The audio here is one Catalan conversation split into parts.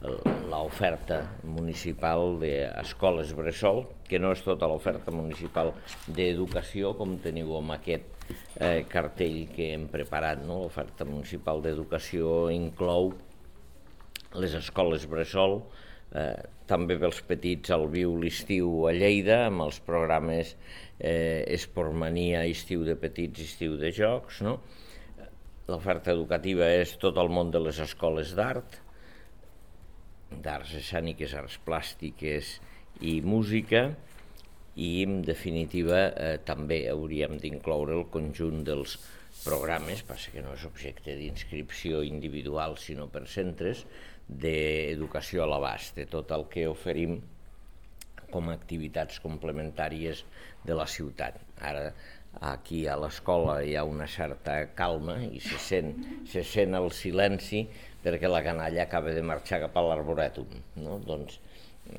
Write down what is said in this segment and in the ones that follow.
l'oferta municipal d'escoles bressol, que no és tota l'oferta municipal d'educació, com teniu amb aquest cartell que hem preparat. L'oferta municipal d'educació inclou les escoles bressol, també pels petits al Viu l'estiu a Lleida, amb els programes Esportmania, estiu de petits, estiu de jocs. L'oferta educativa és tot el món de les escoles d'arts escèniques, arts plàstiques i música, i en definitiva també hauríem d'incloure el conjunt dels programes, passa que no és objecte d'inscripció individual sinó per centres, d'educació a l'abast, de tot el que oferim com a activitats complementàries de la ciutat. Ara, aquí a l'escola hi ha una certa calma i se sent el silenci perquè la canalla acaba de marxar cap a l'Arborètum. Doncs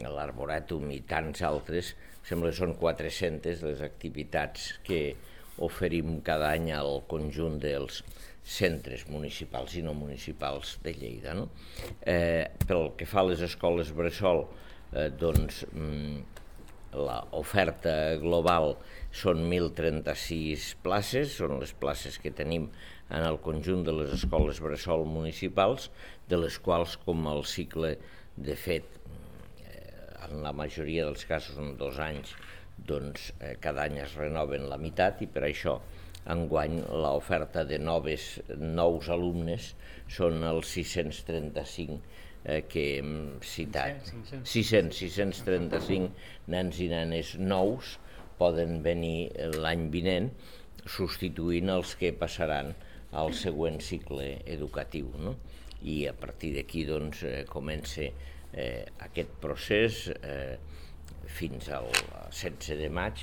l'Arborètum i tants altres, sembla que són 400 les activitats que oferim cada any al conjunt dels centres municipals i no municipals de Lleida. Pel que fa a les escoles bressol, doncs l'oferta global són 1.036 places, són les places que tenim en el conjunt de les escoles bressol municipals, de les quals, com el cicle, de fet, en la majoria dels casos en 2 anys, doncs cada any es renoven la meitat, i per això enguany l'oferta de nous alumnes són els 635 que hem citat. 635 nens i nenes nous poden venir l'any vinent, substituint els que passaran al següent cicle educatiu. I a partir d'aquí doncs comença aquest procés fins al 16 de maig,